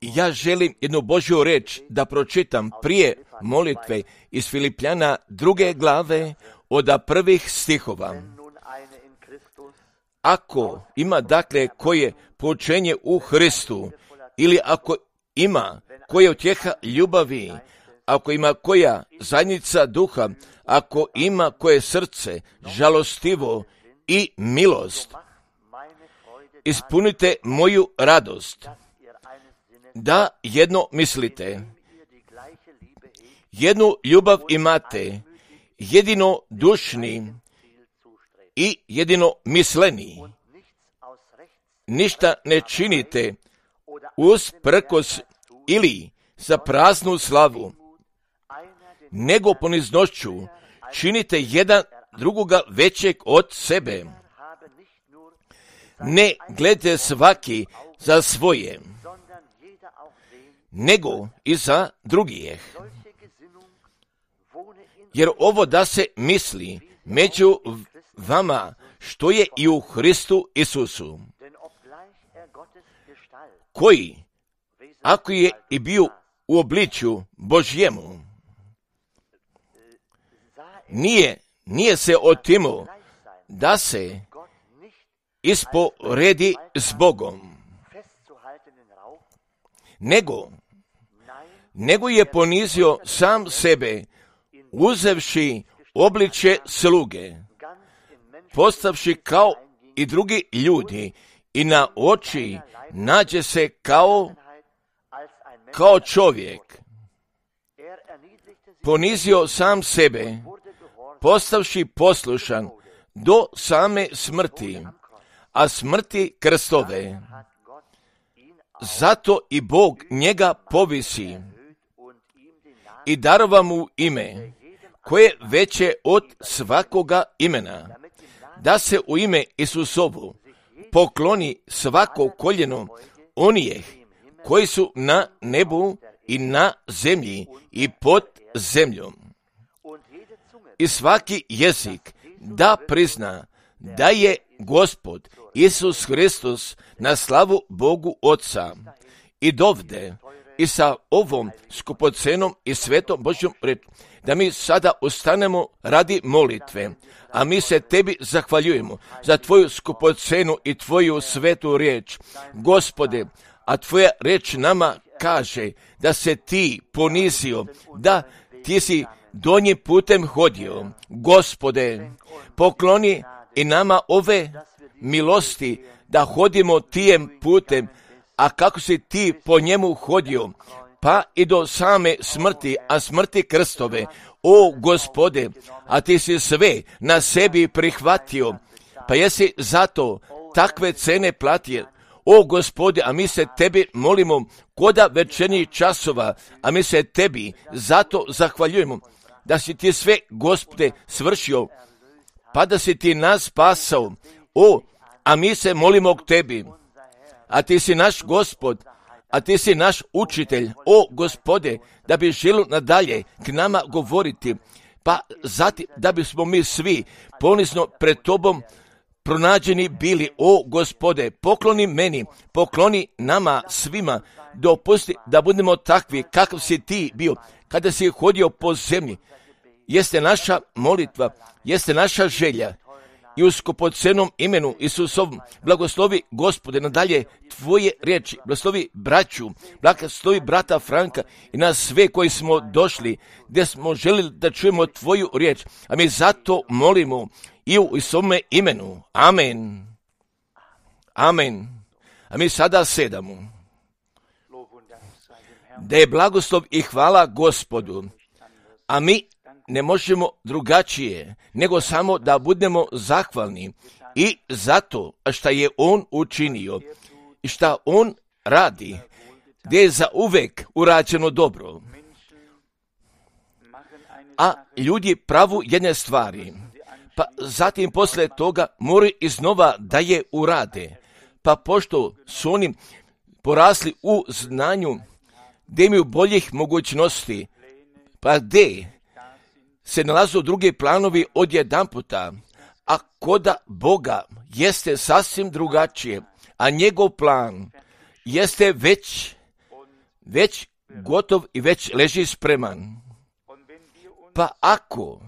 Ja želim jednu Božju reč da pročitam prije molitve iz Filipljana 2. glave od prvih stihova. Ako ima dakle koje poučenje u Hristu, ili ako ima koja utjeha ljubavi, ako ima koja zajednica duha, ako ima koje srce žalostivo i milost, ispunite moju radost, da jedno mislite, jednu ljubav imate, jedino dušni i jedino misleni. Ništa ne činite usprkos ili za praznu slavu, nego poniznošću činite jedan drugoga većeg od sebe. Ne gledajte svaki za svoje, nego i za drugih. Jer ovo da se misli među vama što je i u Hristu Isusu, koji, ako je i bio u obličju Božjemu, nije se otimao da se isporedi s Bogom, nego je ponizio sam sebe, uzevši obličje sluge, postavši kao i drugi ljudi i na oči nađe se kao čovjek. Ponizio sam sebe, postavši poslušan do same smrti, a smrti krstove. Zato i Bog njega povisi i darova mu ime, koje je veće od svakoga imena, da se u ime Isusovu pokloni svako koljeno onih koji su na nebu i na zemlji i pod zemljom. I svaki jezik da prizna da je Gospod Isus Hristos na slavu Bogu Otca. I dovde i sa ovom skupocenom i svetom Božjom reč, da mi sada ustanemo radi molitve, a mi se tebi zahvaljujemo za tvoju skupocenu i tvoju svetu riječ. Gospode, a tvoja riječ nama kaže da se ti ponizio, da ti si donjim putem hodio. Gospode, pokloni i nama ove milosti da hodimo tijem putem, a kako si ti po njemu hodio, pa i do same smrti, a smrti krstove. O Gospode, a ti si sve na sebi prihvatio, pa jesi zato takve cene platio. O Gospode, a mi se tebi molimo koda večernjih časova, a mi se tebi zato zahvaljujemo da si ti sve, Gospode, svršio, pa da si ti nas spasao. O, a mi se molimo k tebi, a ti si naš Gospod, a ti si naš učitelj, o Gospode, da bi želio nadalje k nama govoriti, pa zatim da bismo mi svi ponizno pred tobom pronađeni bili. O Gospode, pokloni meni, pokloni nama svima, dopusti da budemo takvi kakav si ti bio kada si hodio po zemlji. Jeste naša molitva, jeste naša želja. I u skupocenom imenu Isusovom blagoslovi, Gospode, nadalje tvoje riječi, blagoslovi braću, blagoslovi brata Franka i nas sve koji smo došli, gdje smo želili da čujemo tvoju riječ, a mi zato molimo i u Isusovome imenu. Amen. Amen. A mi sada sedamo. Da je blagoslov i hvala Gospodu, a mi ne možemo drugačije, nego samo da budemo zahvalni i zato što je On učinio i što On radi, gdje je za uvek urađeno dobro. A ljudi pravu jedne stvari, pa zatim posle toga moraju iznova da je urade. Pa pošto su oni porasli u znanju, gdje imaju boljih mogućnosti, pa gdje se nalazu drugi planovi odjedanputa, a koda Boga jeste sasvim drugačije, a njegov plan jeste već gotov i već leži spreman. Pa ako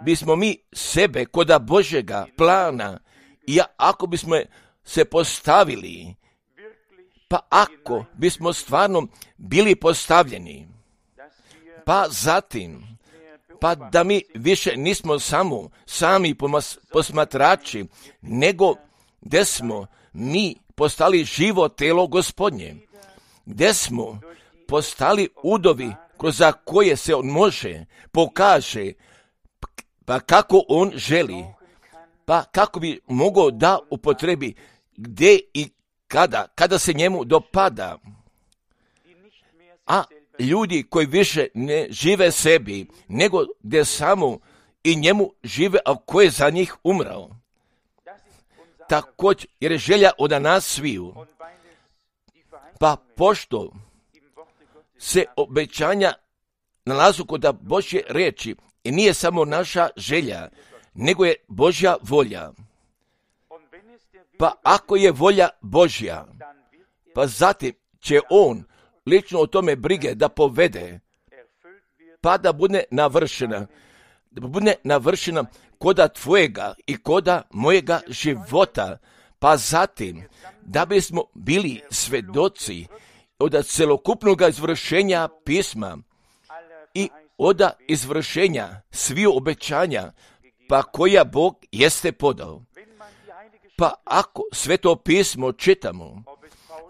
bismo mi sebe koda Božjega plana i ako bismo se postavili, pa ako bismo stvarno bili postavljeni, pa zatim, pa da mi više nismo sami posmatrači, nego gdje smo mi postali živo telo Gospodnje, gdje smo postali udovi kroz koje se on može, pokaže, pa kako on želi, pa kako bi mogao da upotrebi gdje i kada se njemu dopada. A ljudi koji više ne žive sebi, nego gdje samo i njemu žive, a ko je za njih umrao. Također, jer je želja od nas sviju. Pa pošto se obećanja nalazu kod Božje riječi i nije samo naša želja, nego je Božja volja. Pa ako je volja Božja, pa zatim će on lično o tome brige da povede, pa da bude navršena koda tvojega i koda mojega života, pa zatim da bismo bili svedoci od celokupnog izvršenja pisma i od izvršenja sviju obećanja, pa koja Bog jeste podao. Pa ako sveto pismo čitamo,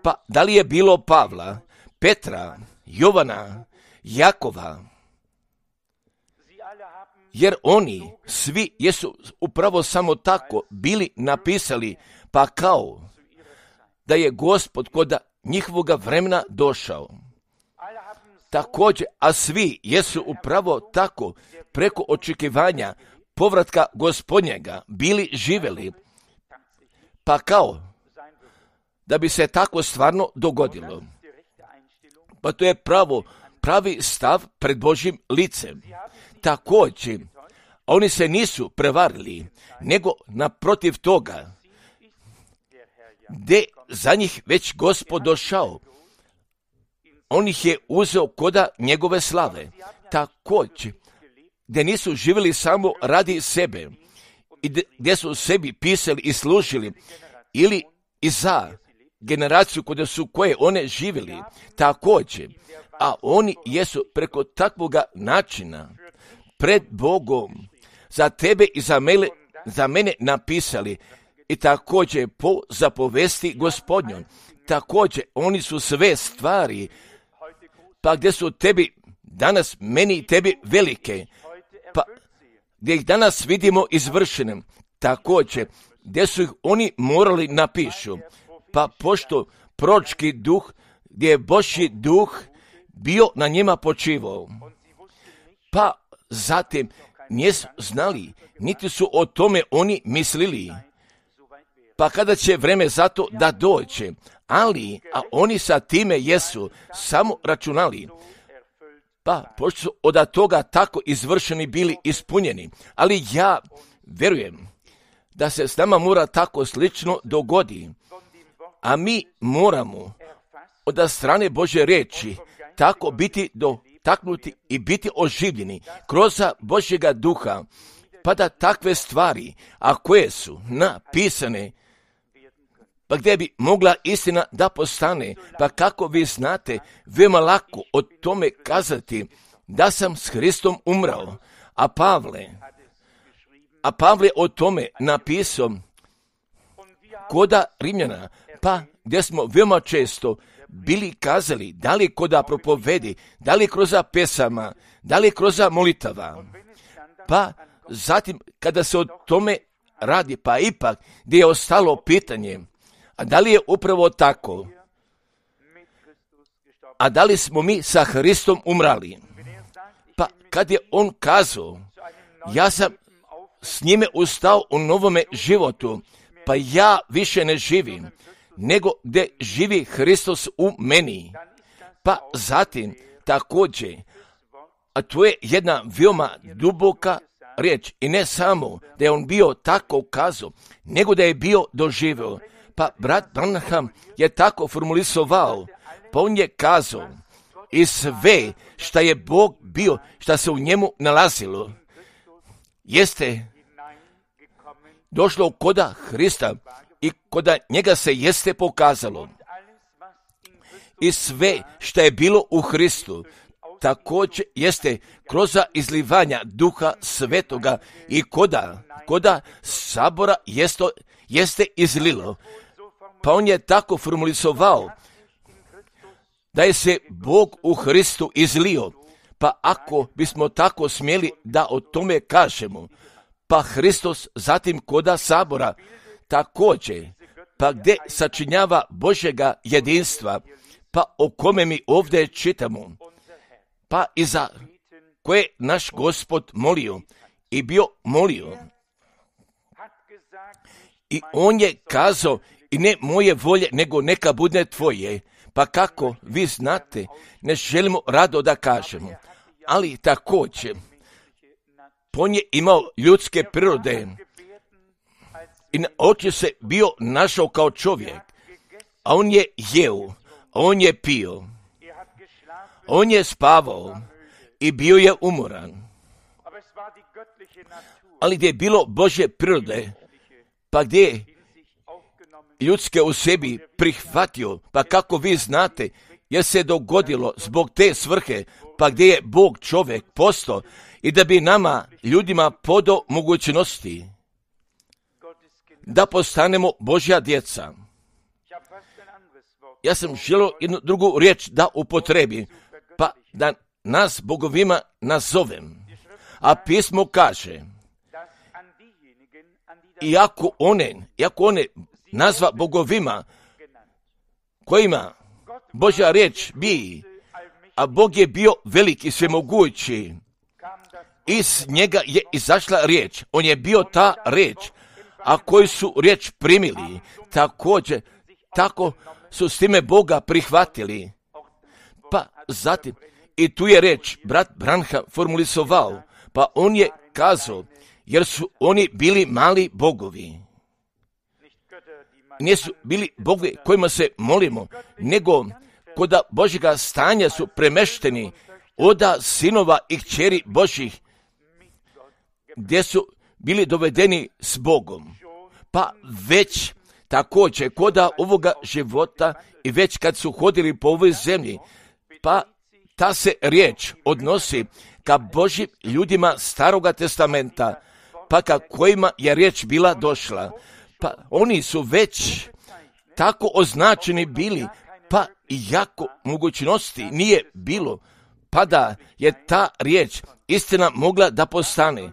pa da li je bilo Pavla, Petra, Jovana, Jakova, jer oni svi jesu upravo samo tako bili napisali, pa kao da je Gospod kod njihovoga vremena došao. Također, a svi jesu upravo tako preko očekivanja povratka Gospodnjega bili živjeli, pa kao da bi se tako stvarno dogodilo. Pa to je pravi stav pred Božjim licem. Također, oni se nisu prevarili, nego naprotiv toga, gdje za njih već Gospod došao, on ih je uzeo koda njegove slave. Također, gdje nisu živjeli samo radi sebe, i gdje su sebi pisali i služili, ili i za generaciju koje one živjeli, također, a oni jesu preko takvoga načina pred Bogom za tebe i za mene napisali i također po zapovesti Gospodnjoj. Također, oni su sve stvari, pa gdje su tebi danas, meni i tebi velike, pa gdje ih danas vidimo izvršenim, također, gdje su ih oni morali napišu, pa pošto proročki duh, gdje je Božji duh bio na njima počivao, pa zatim nisu znali, niti su o tome oni mislili, pa kada će vreme za to da dođe, a oni sa time jesu samo računali, pa pošto su od toga tako izvršeni bili ispunjeni, ali ja vjerujem da se s nama mora tako slično dogodi, a mi moramo od strane Božje riječi tako biti dotaknuti i biti oživljeni kroz Božjega duha, pa da takve stvari, a koje su napisane, pa gdje bi mogla istina da postane, pa kako vi znate, veoma lako o tome kazati da sam s Hristom umrao, a Pavle o tome napisao koda Rimljana, pa gdje smo veoma često bili kazali, da li koda propovedi, da li kroz pesama, da li kroz molitava, pa zatim kada se o tome radi, pa ipak gdje je ostalo pitanje, a da li je upravo tako, a da li smo mi sa Hristom umrali, pa kad je on kazao, ja sam s njime ustao u novome životu, pa ja više ne živim, nego gdje živi Hristos u meni. Pa zatim također, a to je jedna veoma duboka riječ i ne samo da je on bio tako kazao, nego da je bio doživio. Pa brat Branham je tako formulisovao, pa on je kazao, i sve šta je Bog bio, šta se u njemu nalazilo, jeste došlo koda Hrista i koda njega se jeste pokazalo. I sve što je bilo u Hristu, također jeste kroz izlivanja Duha Svetoga i koda sabora jeste izlilo. Pa on je tako formulisovao da je se Bog u Hristu izlio. Pa ako bismo tako smjeli da o tome kažemo, pa Hristos zatim koda sabora također, pa gdje sačinjava Božjega jedinstva, pa o kome mi ovdje čitamo, pa i za koje naš Gospod molio i bio molio. I on je kazao, i ne moje volje, nego neka bude tvoje. Pa kako vi znate, ne želimo rado da kažemo, ali također, on je imao ljudske prirode i na oči se bio našao kao čovjek, a on je jeo, on je pio, on je spavao i bio je umoran. Ali gdje je bilo Božje prirode, pa gdje je ljudske u sebi prihvatio, pa kako vi znate, jer se dogodilo zbog te svrhe, pa gdje je Bog čovjek postao i da bi nama, ljudima, podao mogućnosti da postanemo Božja djeca. Ja sam želio jednu drugu riječ da upotrebim, pa da nas bogovima nazovem. A pismo kaže, iako one nazva bogovima kojima Božja riječ bi, a Bog je bio veliki svemogući, iz njega je izašla riječ, on je bio ta riječ, a koji su riječ primili, također, tako su s time Boga prihvatili. Pa zatim, i tu je riječ, brat Branham formulisovao, pa on je kazao, jer su oni bili mali bogovi. Nisu bili bogovi kojima se molimo, nego koda Božjega stanja su premešteni oda sinova i kćeri Božjih, gdje su bili dovedeni s Bogom. Pa već također koda ovoga života i već kad su hodili po ovoj zemlji, pa ta se riječ odnosi ka Božjim ljudima Staroga testamenta, pa ka kojima je riječ bila došla. Pa oni su već tako označeni bili, pa iako mogućnosti nije bilo, pa da je ta riječ istina mogla da postane.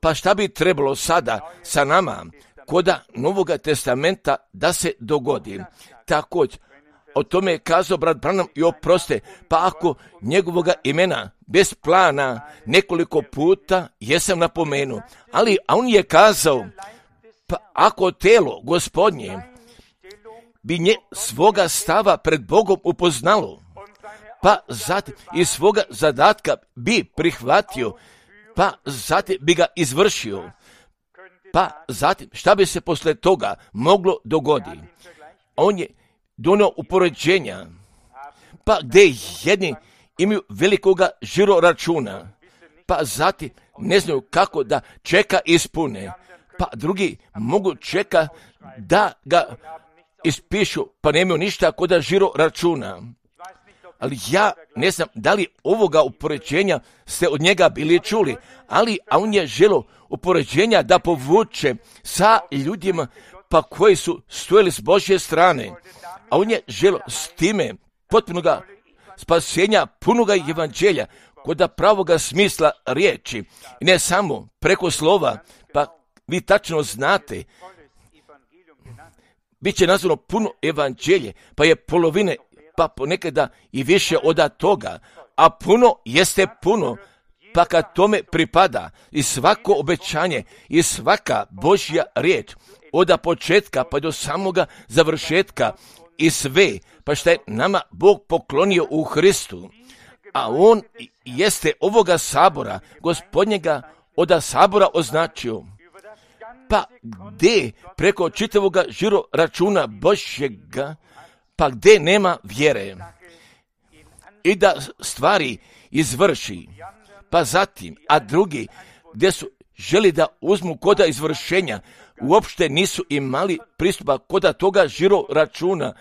Pa šta bi trebalo sada sa nama koda Novoga testamenta da se dogodi? Također, o tome je kazao brat Branham i oproste, pa ako njegovoga imena bez plana nekoliko puta jesam napomenuo, a on je kazao, pa ako telo Gospodnje bi svoga stava pred Bogom upoznalo, pa zatim i svoga zadatka bi prihvatio, pa zatim bi ga izvršio, pa zatim šta bi se posle toga moglo dogoditi? On je donio upoređenja, pa gdje jedni imaju velikoga žiroračuna, pa zatim ne znaju kako da čeka ispune, pa drugi mogu čeka da ga ispišu, pa nemaju ništa koda žiroračuna. Ali ja ne znam da li ovoga upoređenja ste od njega bili čuli, a on je želio upoređenja da povuče sa ljudima pa koji su stojili s Božje strane, a on je želio s time potpunoga spasenja, punoga evanđelja, koda pravoga smisla riječi, i ne samo preko slova, pa vi tačno znate, bit će nazvano puno evanđelje, pa je polovine, pa ponekada i više od toga, a puno jeste puno, pa kad tome pripada i svako obećanje i svaka Božja riječ, od početka pa do samoga završetka i sve, pa što je nama Bog poklonio u Hristu, a on jeste ovoga sabora, Gospodnjega od sabora označio, Pa gdje preko čitavoga žiro računa Božjega, pa gdje nema vjere i da stvari izvrši, pa zatim, a drugi gdje su želi da uzmu koda izvršenja, uopšte nisu imali pristupa koda toga žiro računa,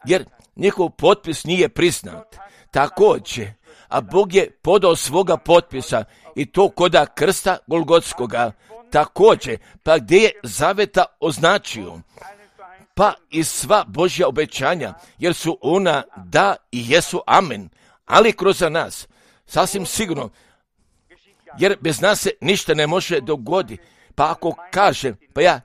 jer njihov potpis nije priznat. Također, a Bog je podao svoga potpisa i to koda krsta Golgotskoga. Također, pa gdje je zaveta označio, pa i sva Božja obećanja, jer su ona da i jesu amen, ali kroz nas, sasvim sigurno, jer bez nas se ništa ne može dogoditi. Pa ako kaže, pa ja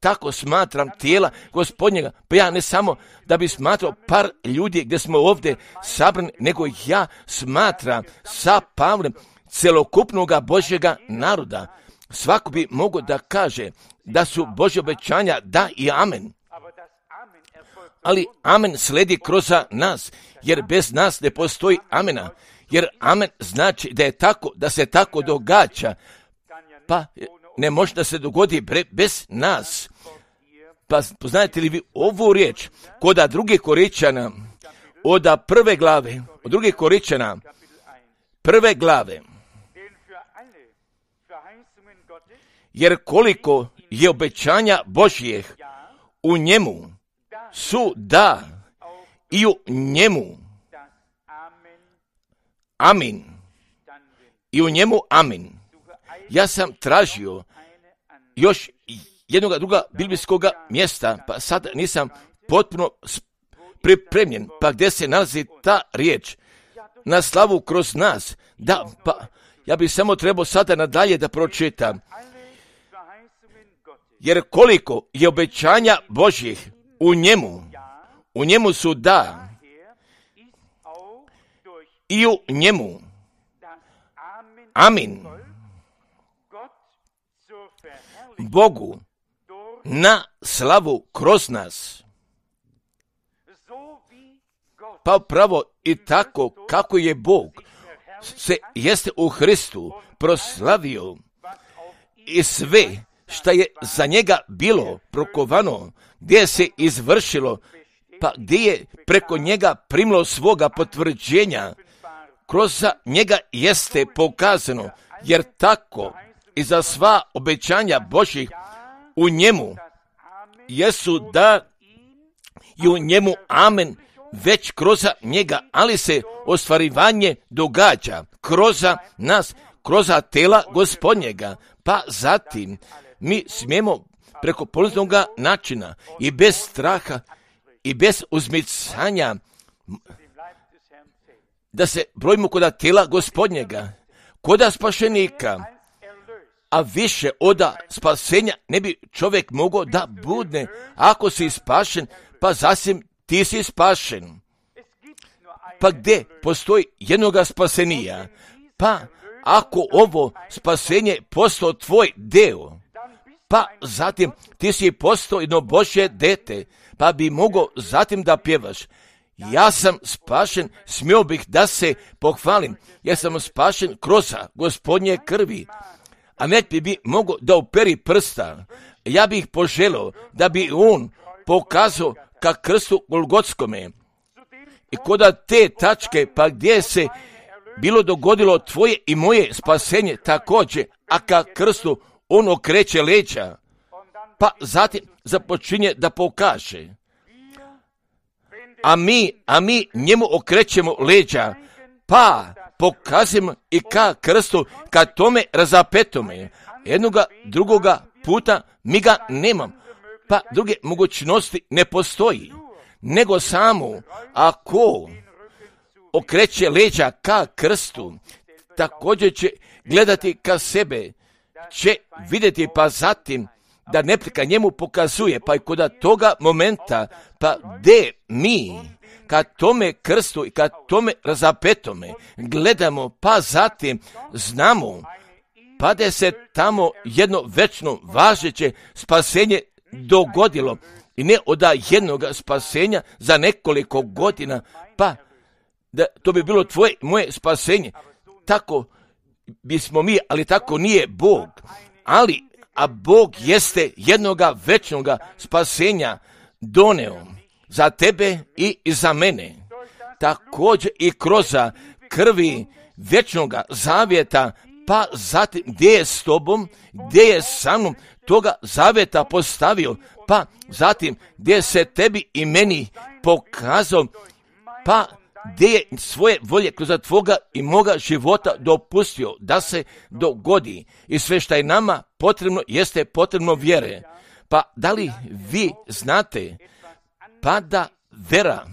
tako smatram tijela Gospodnjega, pa ja ne samo da bi smatrao par ljudi gdje smo ovdje sabrani, nego ja smatram sa Pavlem celokupnoga Božjega naroda. Svako bi mogao da kaže da su Božje obećanja da i amen. Ali amen sledi kroz nas, jer bez nas ne postoji amena. Jer amen znači da je tako, da se tako događa, pa ne može da se dogodi bez nas. Pa poznajete li vi ovu riječ koda drugih Koričana, od prve glave, od drugih Koričana, prve glave. Jer koliko je obećanja Božjih u njemu su da i u njemu amin. I u njemu amin. Ja sam tražio još jednog druga biblijskog mjesta, pa sad nisam potpuno pripremljen, pa gdje se nalazi ta riječ na slavu kroz nas. Da, pa ja bih samo trebao sada nadalje da pročitam. Jer koliko je obećanja Božjih u njemu su da i u njemu amin. Bogu na slavu kroz nas. Pa pravo i tako kako je Bog se jeste u Hristu proslavio i sve što je za njega bilo prokovano, gdje se izvršilo, pa gdje je preko njega primilo svoga potvrđenja, kroz njega jeste pokazano, jer tako i za sva obećanja Božjih u njemu jesu da i u njemu amen, već kroz njega, ali se ostvarivanje događa kroz nas, kroz tela Gospodnjega. Pa zatim mi smijemo preko polaznog načina i bez straha i bez uzmicanja da se brojimo kod tela Gospodnjega, kod spašenika, a više od spasenja ne bi čovjek mogao da budne. Ako si spašen, pa zasim ti si spašen. Pa gdje postoji jednoga spasenija? Pa ako ovo spasenje postao tvoj deo, pa zatim ti si postao jedno Božje dete, pa bi mogao zatim da pjevaš. Ja sam spašen, smio bih da se pohvalim, jer sam spašen kroz Gospodnje krvi. A ne bi mogao da uperi prsta. Ja bih poželio da bi on pokazao ka krstu Golgotskome. I koda te tačke, pa gdje se bilo dogodilo tvoje i moje spasenje također, a ka krstu on okreće leđa, pa zatim započinje da pokaže. A mi njemu okrećemo leđa, pa pokazujemo i ka krstu, ka tome razapetome. Jednoga drugoga puta mi ga nemam, pa druge mogućnosti ne postoji, nego samo ako okreće leđa ka krstu, također će gledati ka sebe, će vidjeti pa zatim da neprijatelj njemu pokazuje, pa i kod toga momenta, pa gdje mi ka tome krstu i ka tome razapetome gledamo, pa zatim znamo, pa da se tamo jedno večno važeće spasenje dogodilo i ne od jednog spasenja za nekoliko godina, pa da to bi bilo tvoje, moje spasenje. Tako bismo mi, ali tako nije Bog. Ali a Bog jeste jednoga večnoga spasenja doneo za tebe i za mene. Također i kroz krvi večnoga zavjeta, pa zatim gdje je s tobom, gdje je sa mnom, toga zavjeta postavio, pa zatim gdje se tebi i meni pokazao, pa gdje je svoje volje kroz tvoga i moga života dopustio da se dogodi. I sve što je nama potrebno jeste potrebno vjere. Pa da li vi znate, pa da vera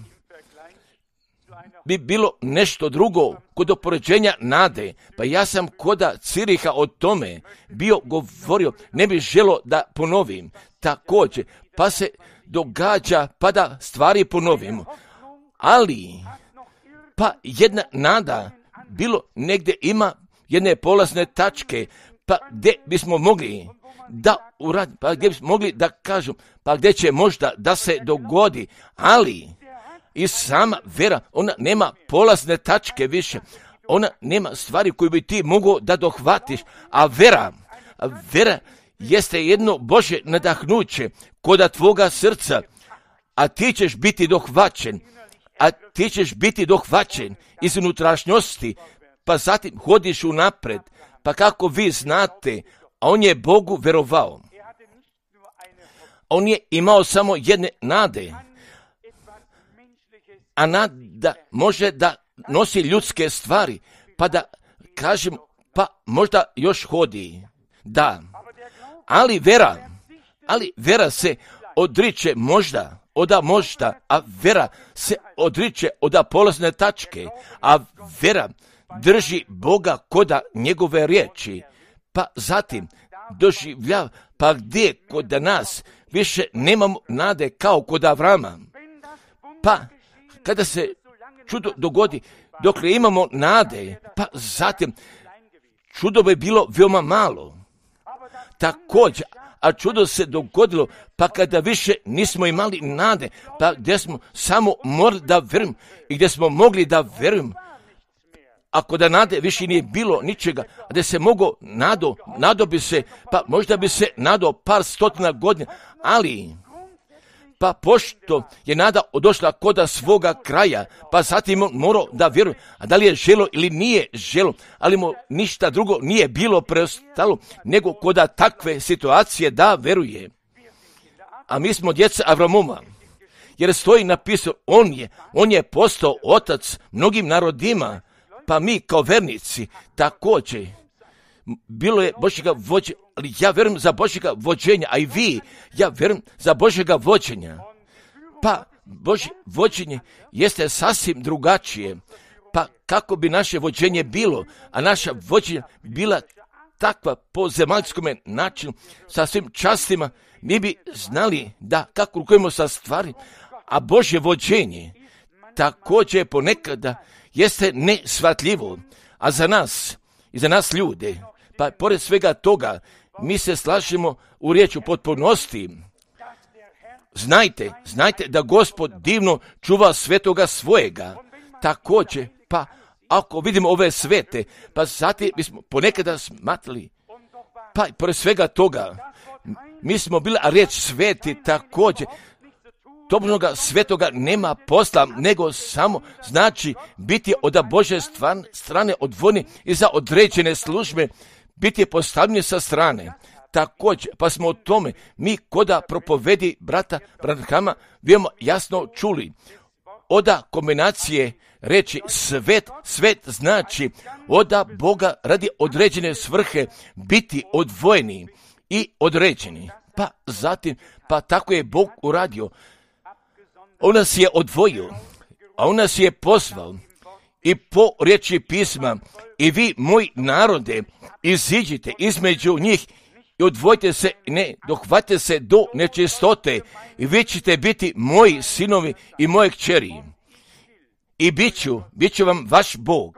bi bilo nešto drugo kod opoređenja nade. Pa ja sam koda Ciriha o tome bio govorio, ne bih želio da ponovim. Također, pa se događa pa da stvari ponovimo. Ali, pa jedna nada bilo negdje ima jedne polazne tačke, pa gdje bismo mogli da uradimo, pa gdje bismo mogli da kažu, pa gdje će možda da se dogodi, ali i sama vera, ona nema polazne tačke više, ona nema stvari koju bi ti mogao da dohvatiš, a vera jeste jedno Božje nadahnuće koda tvoga srca, a ti ćeš biti dohvaćen iz unutrašnjosti, pa zatim hodiš unapred, pa kako vi znate, a on je Bogu verovao. On je imao samo jedne nade, a nada može da nosi ljudske stvari, pa da kažem, pa možda još hodi. Da, ali vera se odriče možda, a vera se odriče od polazne tačke, a vera drži Boga koda njegove riječi, pa zatim doživljav, pa gdje kod nas više nemamo nade kao kod Avrama. Pa kada se čudo dogodi, dokle imamo nade, pa zatim čudo bi bilo veoma malo. Također, a čudo se dogodilo, pa kada više nismo imali nade, pa gdje smo samo morali da vjerujemo i gdje smo mogli da vjerujemo, ako da nade više nije bilo ničega, a da se mogo nado bi se, pa možda bi se nadao par stotina godina, ali pa pošto je nada došla koda svoga kraja, pa zatim on morao da vjeruje, a da li je želo ili nije želo, ali mu ništa drugo nije bilo preostalo, nego koda takve situacije da veruje. A mi smo djeca Avramova, jer stoji napisano, on je postao otac mnogim narodima, pa mi kao vernici također. Bilo je Božjega vođenja, ali ja vjerujem za Božjega vođenja, a i vi, ja vjerujem za Božjega vođenja. Pa Božje vođenje jeste sasvim drugačije. Pa kako bi naše vođenje bilo, a naša vođenja bila takva po zemaljskome načinu, sa svim častima, mi bi znali da kako rukujemo sa stvari, a Božje vođenje također ponekada jeste nesvatljivo, a za nas i za nas ljude, pa pored svega toga, mi se slažemo u riječu potpunosti. Znajte da Gospod divno čuva svetoga svojega. Također, pa ako vidimo ove svete, pa zatim bismo ponekada smatrali, pa pored svega toga, mi smo bili, a riječ sveti također, tobožnoga svetoga nema posla, nego samo znači biti od Božje strane odvojeni i za određene službe, biti postavljeni sa strane. Također, pa smo o tome, mi koda propovedi brata Branhama, veoma jasno čuli. Oda kombinacije reći svet znači oda Boga radi određene svrhe biti odvojeni i određeni. Pa zatim, pa tako je Bog uradio. On nas je odvojio, a on nas je pozvao i po riječi pisma, i vi, moji narode, iziđite između njih i odvojite se, ne dohvatite se do nečistote, i vi ćete biti moji sinovi i moje kćeri. I bit ću vam vaš Bog.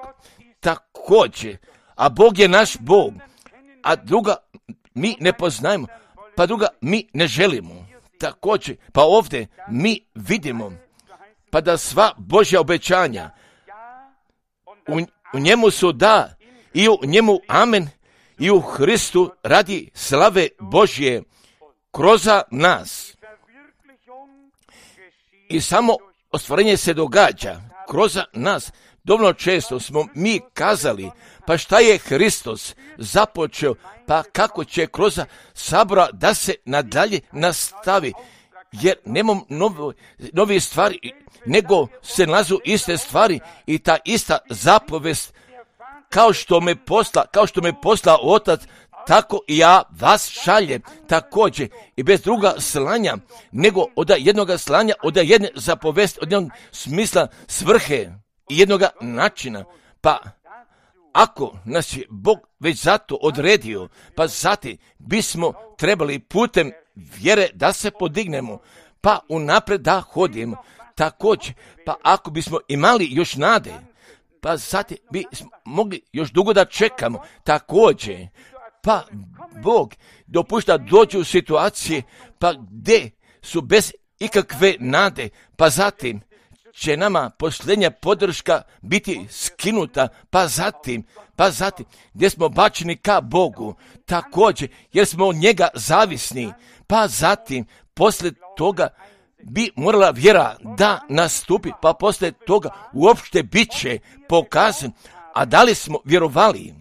Također, a Bog je naš Bog, a druga mi ne poznajemo, pa druga mi ne želimo. Također, pa ovdje mi vidimo, pa da sva Božja obećanja u njemu su da i u njemu amen, i u Hristu radi slave Božje kroz nas. I samo ostvarenje se događa kroz nas. Dovoljno često smo mi kazali, pa šta je Hristos započeo, pa kako će kroz sabora da se nadalje nastavi, jer nemam nove stvari, nego se nalazu iste stvari i ta ista zapovest, kao što me posla Otac, tako i ja vas šaljem također i bez druga slanja, nego od jednoga slanja, od jedne zapovesti, od jednog smisla, svrhe i jednoga načina. Pa ako nas je Bog već zato odredio, pa zatim bismo trebali putem vjere da se podignemo, pa unaprijed da hodimo. Također, pa ako bismo imali još nade, pa zatim bismo mogli još dugo da čekamo. Također, pa Bog dopušta dođu u situacije pa gdje su bez ikakve nade, pa zatim će nama posljednja podrška biti skinuta, pa zatim gdje smo bačeni ka Bogu, također jer smo od njega zavisni, pa zatim poslije toga bi morala vjera da nastupi, pa poslije toga uopšte bit će pokazan, a da li smo vjerovali?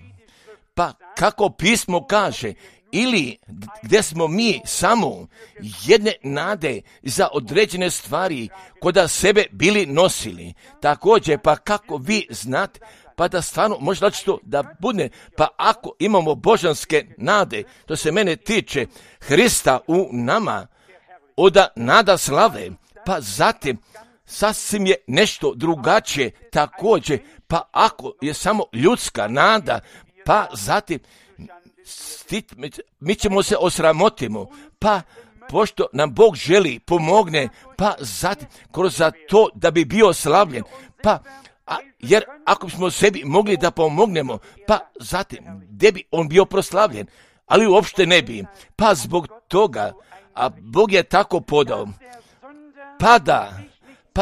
Pa kako pismo kaže, ili gdje smo mi samo jedne nade za određene stvari koda sebe bili nosili. Također, pa kako vi znate, pa da stvarno može to da bude, pa ako imamo božanske nade, to se mene tiče Hrista u nama, od nada slave, pa zatim sasvim je nešto drugačije također, pa ako je samo ljudska nada, pa zatim mi ćemo se osramotimo, pa pošto nam Bog želi pomogne, pa zatim kroz to da bi bio slavljen, pa jer ako bismo sebi mogli da pomognemo, pa zatim gdje bi on bio proslavljen, ali uopšte ne bi, pa zbog toga, a Bog je tako podao, pa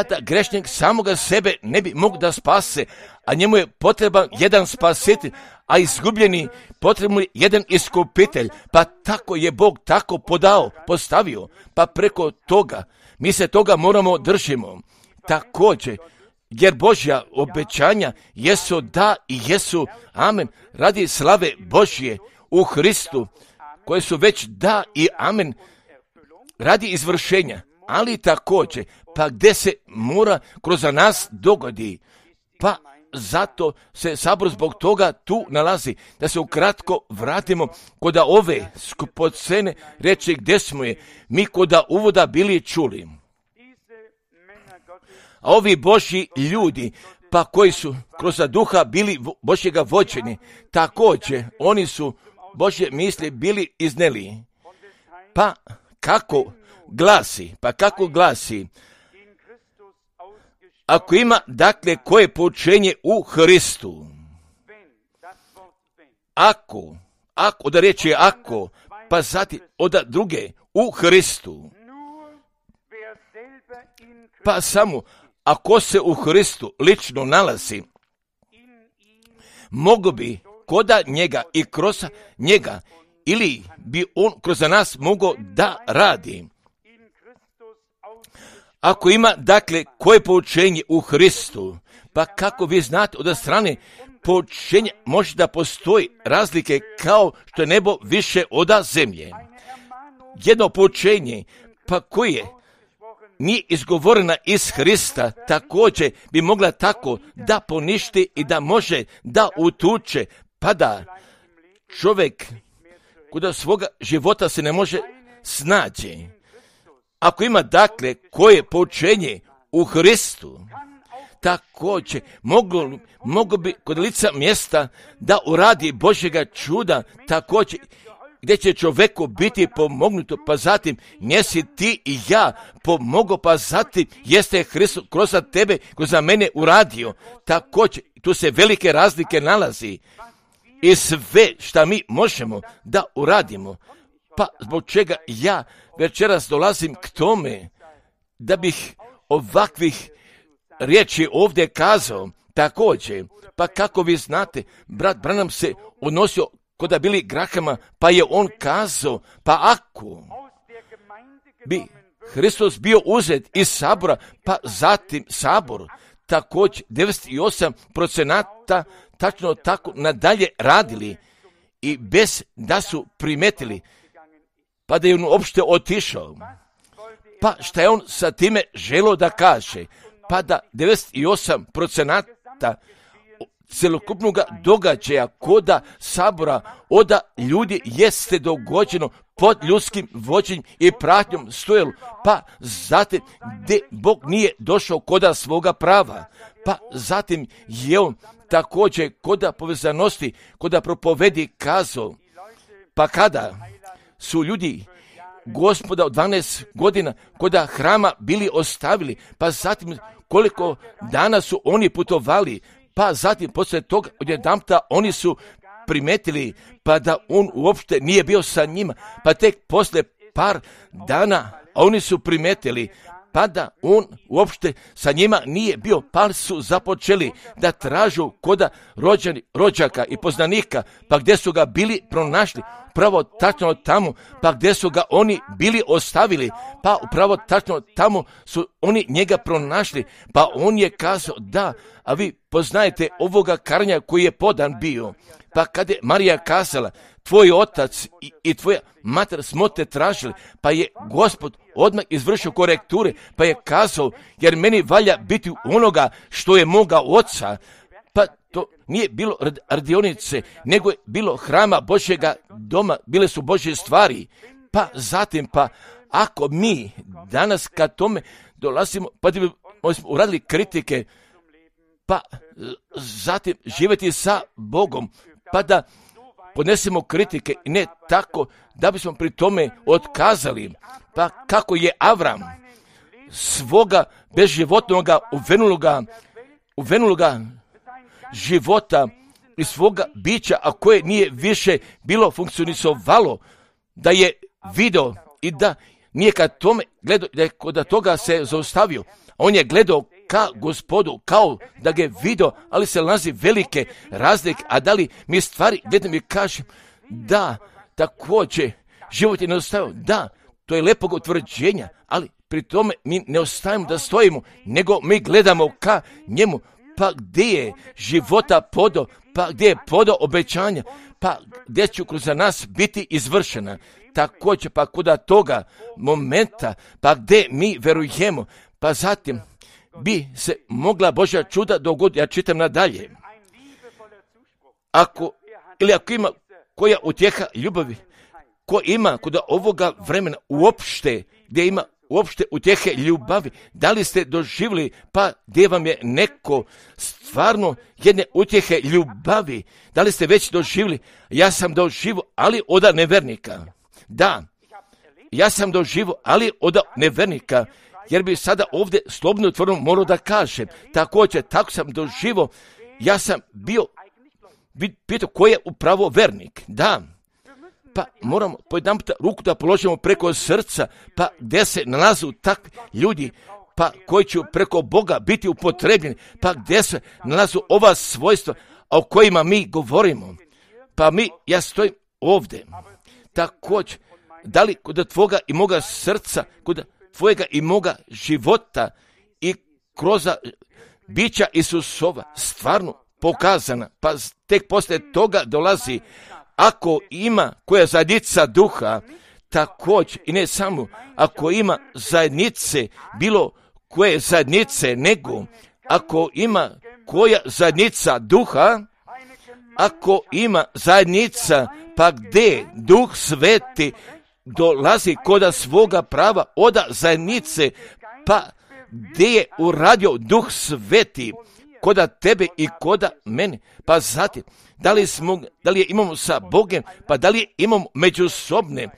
da grešnik samoga sebe ne bi mogao da spase, a njemu je potreban jedan spasitelj, a izgubljeni potrebno je jedan iskupitelj, pa tako je Bog tako postavio, pa preko toga mi se toga moramo držimo. Također, jer Božja obećanja jesu da i jesu amen, radi slave Božje u Hristu, koje su već da i amen, radi izvršenja, ali također, pa gdje se mora kroz nas dogodi, pa zato se sabor zbog toga tu nalazi, da se ukratko vratimo kod ove skupocene reči gdje smo je mi kod uvoda bili čuli. A ovi Božji ljudi, pa koji su kroz duha bili Božjega vođeni, također oni su Božje misli bili izneli. Pa kako glasi, ako ima, dakle, koje poučenje u Hristu, ako, da riječ je ako, pa zatim od druge, u Hristu, pa samo, ako se u Hristu lično nalazi, mogu bi koda njega i kroz njega, ili bi on kroz nas mogao da radi. Ako ima, dakle, koje poučenje u Hristu, pa kako vi znate od strane poučenja može da postoji razlike kao što je nebo više od zemlje. Jedno poučenje, pa koje nije izgovorena iz Hrista, također bi mogla tako da poništi i da može da utuče, pa da čovjek kod svoga života se ne može snaći. Ako ima, dakle, koje poučenje u Hristu, također mogu bi kod lica mjesta da uradi Božjega čuda, također gdje će čovjeku biti pomognuto, pa zatim njesi ti i ja pomogu, pa zatim jeste Hristos kroz tebe, kroz mene uradio. Također, tu se velike razlike nalazi i sve šta mi možemo da uradimo, pa zbog čega ja večeras dolazim k tome da bih ovakvih riječi ovdje kazao. Također, pa kako vi znate, brat Branham se odnosio koda bili Grahama, pa je on kazao, pa ako bi Hristos bio uzet iz sabora, pa zatim sabor, također 98% tačno tako nadalje radili i bez da su primetili, pa da je on uopšte otišao. Pa šta je on sa time želio da kaže? Pa da 98% celokupnog događaja koda sabora oda ljudi jeste dogođeno pod ljudskim vođenjem i pratnjom stojalo, pa zatim gdje Bog nije došao koda svoga prava, pa zatim je on također koda povezanosti, koda propovedi kazao, pa kada su ljudi Gospoda od 12 godina koda hrama bili ostavili, pa zatim koliko dana su oni putovali, pa zatim poslije toga odjedanputa oni su primetili pa da on uopšte nije bio sa njima, pa tek poslije par dana oni su primetili pa da on uopšte sa njima nije bio, pa su započeli da tražu koda rođaka i poznanika, pa gdje su ga bili pronašli, upravo tačno tamo, pa gdje su ga oni bili ostavili, pa upravo tačno tamo su oni njega pronašli, pa on je kazao da, a vi poznajete ovoga karanja koji je podan bio, pa kad je Marija kazala, tvoj otac i tvoja mater smo te tražili, pa je Gospod odmah izvršio korekture, pa je kazao, jer meni valja biti onoga što je moga oca, pa to nije bilo radionice, nego je bilo hrama Božjega doma, bile su Božje stvari, pa zatim, pa ako mi danas kad tome dolazimo, pa da bi uradili kritike, pa zatim živjeti sa Bogom, pa da podnesemo kritike i ne tako da bismo pri tome otkazali, pa kako je Avram svoga bezživotnoga uvenuloga života i svoga bića, a koje nije više bilo funkcionisovalo, da je video i da nije kad tome gledao, da je kod toga se zaustavio. On je gledao ka Gospodu, kao da ga je video, ali se nalazi velike razlike, a da li mi stvari gledam i kažem, da, također, život je neostavio, da, to je lepog utvrđenja, ali pri tome mi ne ostavimo da stojimo, nego mi gledamo ka njemu, pa gdje je života podo, pa gdje je podo obećanja, pa gdje će kroz nas biti izvršena, također, pa kuda toga momenta, pa gdje mi verujemo, pa zatim bi se mogla Božja čuda dogoditi. Ja čitam nadalje. Ako ima koja utjeha ljubavi, ko ima kod ovoga vremena uopšte, gdje ima uopšte utjehe ljubavi, da li ste doživjeli, pa gdje vam je neko stvarno jedne utjehe ljubavi, da li ste već doživjeli? Ja sam doživio, ali od nevernika. Da, ja sam doživio, ali od nevernika, jer bi sada ovdje slobodno otvoreno morao da kažem, također, tako sam doživio, ja sam bio, pitao ko je upravo vernik, da, pa moramo pojedan puta ruku da položimo preko srca, pa gdje se nalazu takvi ljudi, pa koji će preko Boga biti upotrebljeni, pa gdje se nalazu ova svojstva o kojima mi govorimo, pa ja stojim ovdje, također, da li kod tvoga i moga srca, kod tvojega i moga života i kroz bića Isusova stvarno pokazana, pa tek poslije toga dolazi, ako ima koja zajednica duha, također i ne samo, ako ima zajednice, bilo koje zajednice, nego ako ima koja zajednica duha, ako ima zajednica, pa gdje Duh Sveti dolazi koda svoga prava od zajednice, pa gdje je uradio Duh Sveti koda tebe i koda mene, pa zatim, da li je imamo sa Bogom, pa da li je imamo međusobne,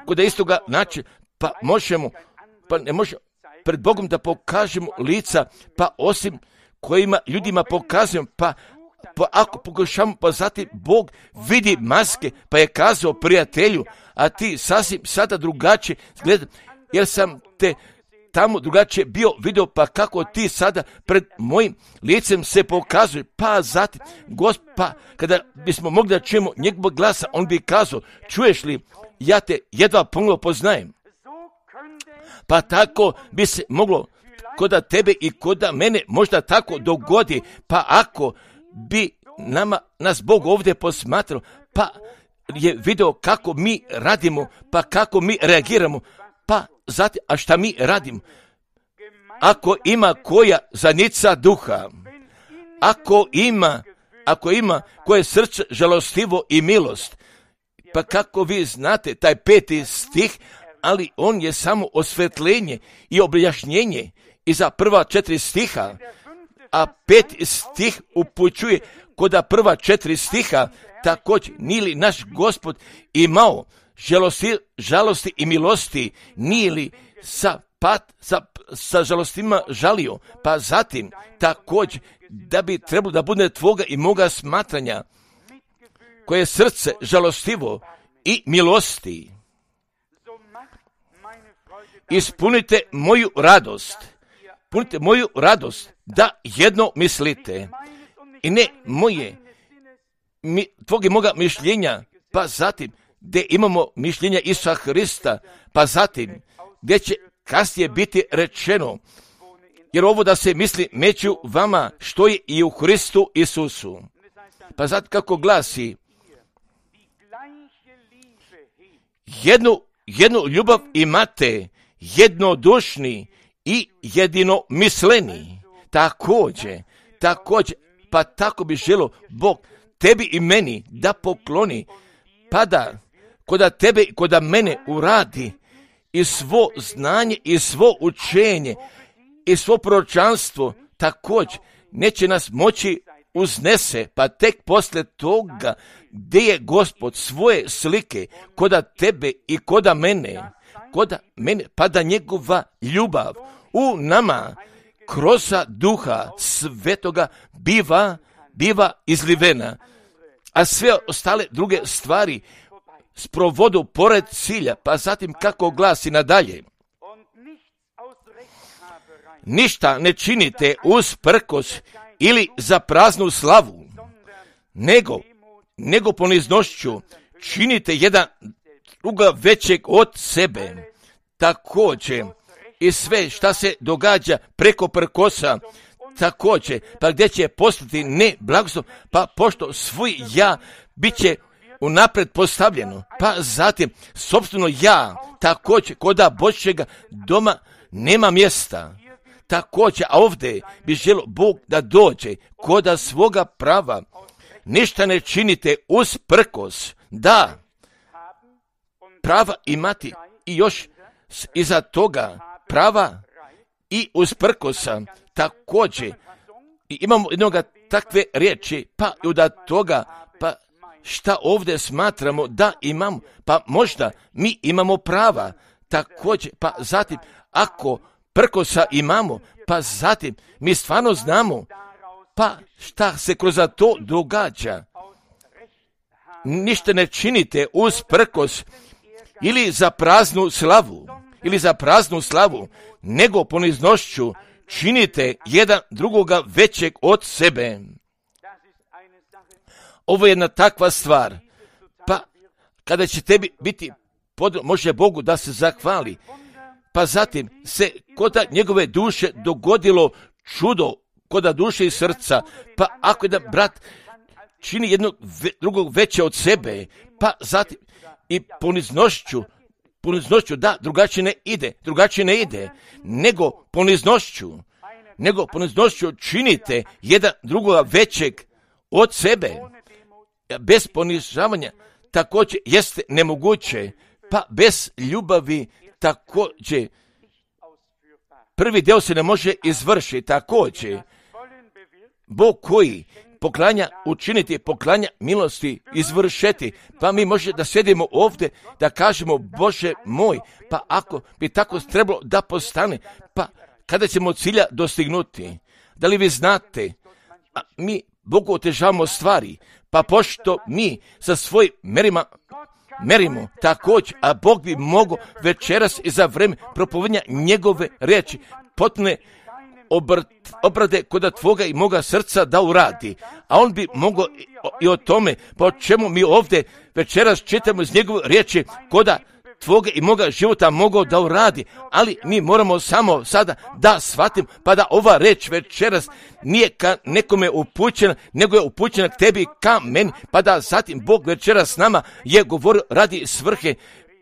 koda istoga način, pa ne možemo pred Bogom da pokažemo lica, pa osim kojima ljudima pokazujemo, pa ako pokušamo, pa zatim Bog vidi maske, pa je kazao prijatelju, a ti sasvim sada drugačije gleda, jer sam te tamo drugačije bio video, pa kako ti sada pred mojim licem se pokazuje, pa zatim, pa kada bismo mogli da čujemo njegovog glasa, on bi kazao, čuješ li, ja te jedva pomalo poznajem. Pa tako bi se moglo koda tebe i koda mene možda tako dogodi, pa ako bi nas Bog ovdje posmatrao, pa je video kako mi radimo, pa kako mi reagiramo, pa zatim, a šta mi radimo? Ako ima koja zanica duha, ako ima koje srce žalostivo i milost, pa kako vi znate taj 5. stih, ali on je samo osvetljenje i objašnjenje iza prva 4 stiha, a 5. stih upućuje koda prva 4 stiha, također nije li naš Gospod imao žalosti i milosti, nije li sa žalostima žalio, pa zatim također da bi trebalo da bude tvoga i moga smatranja, koje je srce žalostivo i milosti. Ispunite moju radost, da jedno mislite, i ne tvog i moga mišljenja, pa zatim gdje imamo mišljenja Isusa Hrista, pa zatim gdje će kasnije biti rečeno, jer ovo da se misli među vama što je i u Hristu Isusu. Pa zatim kako glasi, jednu ljubav imate, jednodušni i jedinomisleni. Također, pa tako bi želio Bog tebi i meni da pokloni, pa da koda tebe i koda mene uradi i svo znanje i svo učenje i svo proročanstvo, također neće nas moći uznese, pa tek poslije toga gdje je Gospod svoje slike koda tebe i koda mene, pa da njegova ljubav u nama kroz Duha Svetoga biva izlivena, a sve ostale druge stvari sprovodu pored cilja, pa zatim kako glasi nadalje. Ništa ne činite usprkos ili za praznu slavu, nego poniznošću činite jedan druga većeg od sebe. Također i sve šta se događa preko prkosa, također, pa gdje će postati ne blagoslov, pa pošto svoj ja bit će unaprijed postavljeno, pa zatim sobstveno ja, također koda Božjega doma nema mjesta. Također, a ovdje bi želio Bog da dođe koda svoga prava. Ništa ne činite usprkos, da prava imati i još iza toga prava i usprkosa. Također, i imamo jednoga takve riječi, pa i od toga, pa šta ovdje smatramo da imamo, pa možda mi imamo prava, također, pa zatim, ako prkosa imamo, pa zatim, mi stvarno znamo, pa šta se kroz to događa. Ništa ne činite usprkos ili za praznu slavu, nego poniznošću činite jedan drugoga većeg od sebe. Ovo je jedna takva stvar, pa kada će tebi biti može Bogu da se zahvali, pa zatim se koda njegove duše dogodilo čudo, koda duše i srca, pa ako jedan brat čini jednog drugog veće od sebe, pa zatim i poniznošću, da, drugačije ne ide, nego poniznošću činite jedan drugoga većeg od sebe. Bez ponižavanja također jeste nemoguće, pa bez ljubavi također prvi dio se ne može izvršiti. Također Bog koji poklanja milosti izvršeti, pa mi može da sjedimo ovdje da kažemo Bože moj, pa ako bi tako trebalo da postane, pa kada ćemo cilja dostignuti? Da li vi znate, mi Bogu otežavamo stvari, pa pošto mi sa svojim merima merimo također, a Bog bi mogao večeras i za vreme propovedanja njegove riječi potpune obrade kod tvoga i moga srca da uradi. A on bi mogao i o tome, po čemu mi ovdje večeras čitamo iz njegove riječi, koda tvoga i moga života mogao da uradi, ali mi moramo samo sada da shvatim, pa da ova reč večeras nije ka nekome upućena, nego je upućena k tebi, ka meni, pa da zatim Bog večeras s nama je govorio radi svrhe,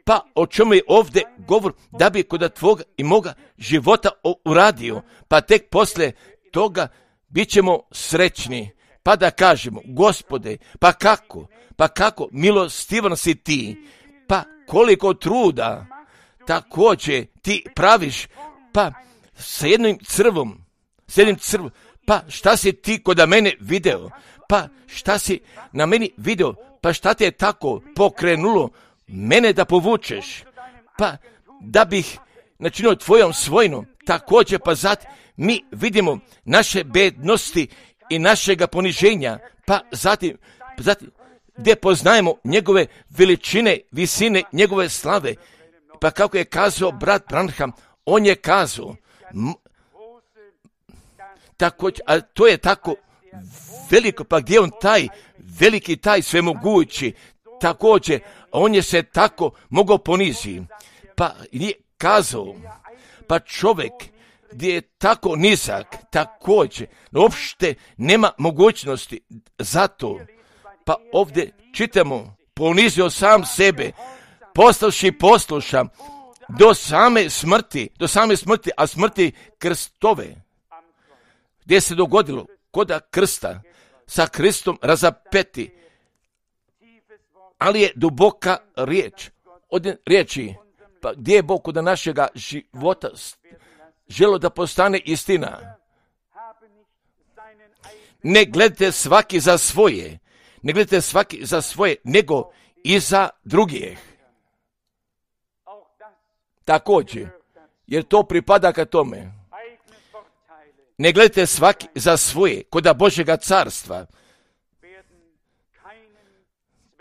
pa o čemu je ovdje govor, da bi kod tvoga i moga života uradio, pa tek poslije toga bit ćemo srećni, pa da kažemo, Gospode, pa kako milostivan si ti, pa koliko truda također ti praviš, pa sa jednim crvom, pa šta si ti kod mene video, pa šta si na meni video, pa šta te je tako pokrenulo mene da povučeš, pa da bih načinio tvojom svojinu, također pa zatim mi vidimo naše bednosti i našega poniženja, pa zatim gdje poznajemo njegove veličine, visine, njegove slave. Pa kako je kazao brat Branham, on je kazao, a to je tako veliko, pa gdje on taj veliki, taj svemogući, također, on je se tako mogao poniziti. Pa je kazao, pa čovjek gdje je tako nizak, također, uopšte nema mogućnosti za to. Pa ovdje čitamo, ponizio sam sebe, postavši poslušan do same smrti, a smrti krstove. Gdje se dogodilo koda krsta, sa Kristom razapeti, ali je duboka riječ, od riječi, pa gdje je Bog kod našega života želo da postane istina. Ne gledajte svaki za svoje, nego i za drugih. Također, jer to pripada ka tome. Ne gledajte svaki za svoje, koda Božjega carstva,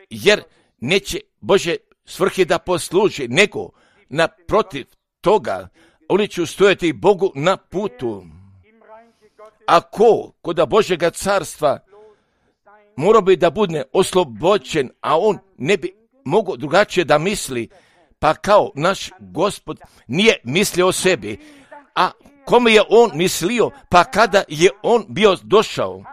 jer neće Bože svrhe da posluži, nego naprotiv toga, oni će stojati Bogu na putu. Ako koda Božjega carstva morao bi da bude oslobođen, a on ne bi mogao drugačije da misli, pa kao naš Gospod nije mislio o sebi, a kome je on mislio, pa kada je on bio došao,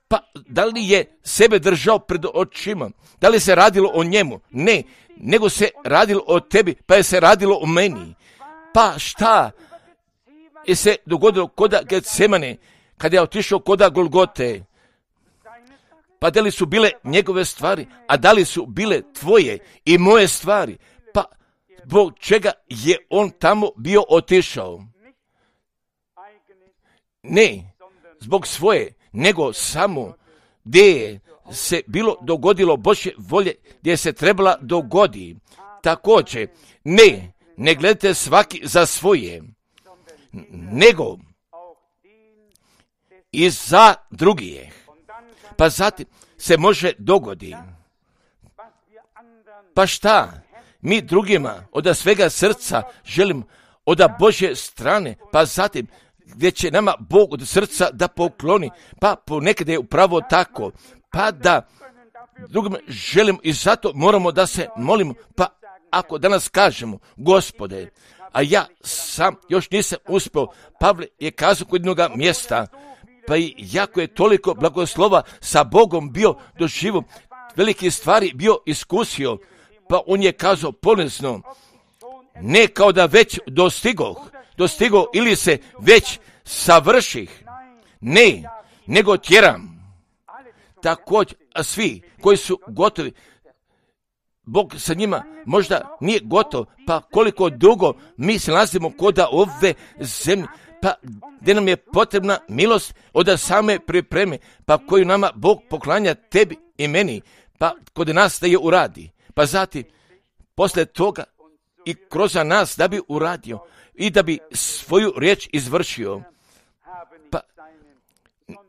pa da li je sebe držao pred očima, da li se radilo o njemu? Ne, nego se radilo o tebi, pa je se radilo o meni. Pa šta je se dogodilo koda Getsemane, kada je otišao koda Golgote? Pa da li su bile njegove stvari, a da li su bile tvoje i moje stvari? Pa zbog čega je on tamo bio otišao? Ne zbog svoje, nego samo gdje je se bilo dogodilo Božje volje, gdje se trebala dogodi. Također, ne gledajte svaki za svoje, nego i za drugih. Pa zatim se može dogodi. Pa šta? Mi drugima od svega srca želimo od Božje strane, pa zatim gdje će nama Bog od srca da pokloni, pa ponekad je upravo tako, pa da drugima želimo i zato moramo da se molimo, pa ako danas kažemo, Gospode, a ja sam još nisam uspio, Pavle je kazao kod jednoga mjesta, pa i jako je toliko blagoslova sa Bogom bio doživio, velike stvari bio iskusio, pa on je kazao ponizno, ne kao da već dostigo ili se već savrših, ne, nego tjeram. Također, a svi koji su gotovi, Bog sa njima možda nije gotov, pa koliko dugo mi se nalazimo koda ove zemlje, pa gdje nam je potrebna milost od same pripreme, pa koju nama Bog poklanja tebi i meni, pa kod nas da je uradi. Pa zatim, poslije toga i kroz nas da bi uradio i da bi svoju riječ izvršio. Pa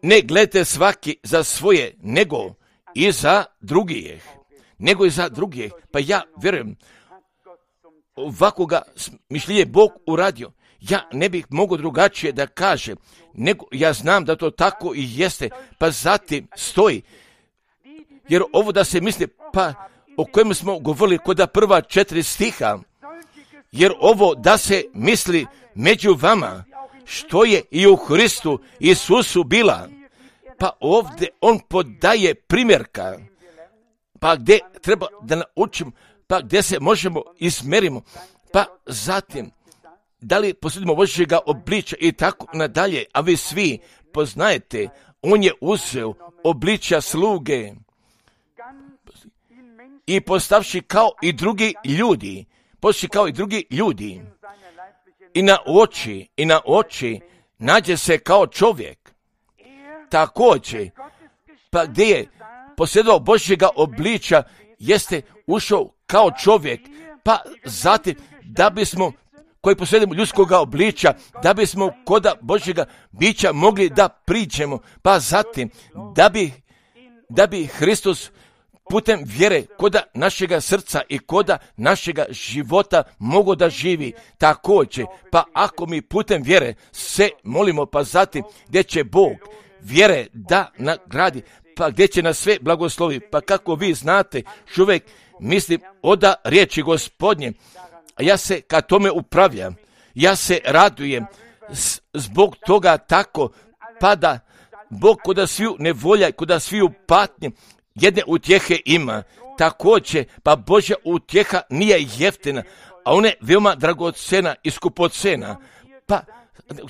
ne gledajte svaki za svoje, nego i za drugih. nego i za druge. Pa ja vjerujem, ovakvoga mišljenje Bog uradio. Ja ne bih mogao drugačije da kažem, nego ja znam da to tako i jeste, pa zatim stoji. Jer ovo da se misli, pa o kojem smo govorili kod prva 4 stiha, jer ovo da se misli među vama, što je i u Hristu Isusu bila, pa ovdje on podaje primjerka, pa gdje treba da naučimo, pa gdje se možemo izmerimo, pa zatim, da li posjedimo Božjega obličja i tako nadalje, a vi svi poznajete, on je uzeo obličja sluge i postavši kao i drugi ljudi, i na oči nađe se kao čovjek. Također, pa gdje je posjedovao Božjega obličja, jeste ušao kao čovjek, pa zatim da bismo koji posjedujemo ljudskoga obličja, da bismo koda Božjega bića mogli da priđemo, pa zatim da bi Hristos putem vjere koda našega srca i koda našega života mogo da živi također. Pa ako mi putem vjere se molimo, pa zatim gdje će Bog vjere da nagradi, pa gdje će nas sve blagoslovi, pa kako vi znate, čovjek mislim oda riječi Gospodnje, a ja se ka tome upravljam, ja se radujem zbog toga tako, pa da Bog koda sviju nevolja, koda sviju patnje, jedne utjehe ima. Također, pa Božja utjeha nije jeftina, a ona je veoma dragocena i skupocena. Pa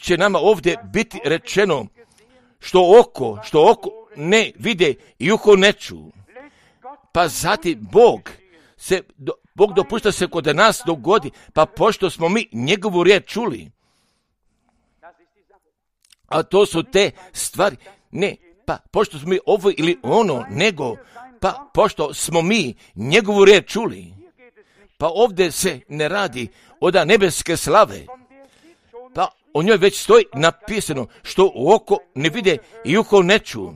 će nama ovdje biti rečeno što oko ne vide i uho ne ču. Pa zatim Bog dopušta se kod nas dogodi, pa pošto smo mi njegovu riječ čuli. A to su te stvari, ne, pa pošto smo mi ovo ili ono, nego, pa pošto smo mi njegovu riječ čuli. Pa ovdje se ne radi od nebeske slave, pa o njoj već stoji napisano što oko ne vide i uho ne ču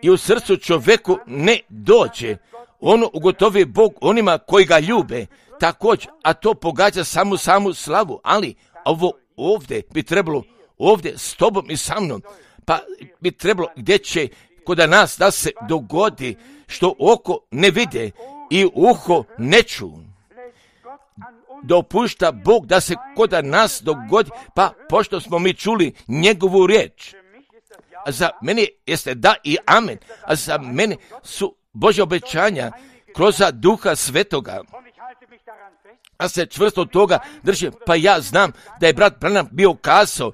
i u srcu čovjeku ne dođe. Ono ugotovi Bog onima koji ga ljube, također, a to pogađa samu slavu, ali ovo ovdje bi trebalo, ovdje s tobom i sa mnom, pa bi trebalo gdje će kod nas da se dogodi što oko ne vide i uho ne ču. Dopušta Bog da se kod nas dogodi, pa pošto smo mi čuli njegovu riječ. A za mene jeste da i amen, a za mene su Božja obećanja kroz Duha Svetoga. A se čvrsto toga držim, pa ja znam da je brat Branham bio kazao,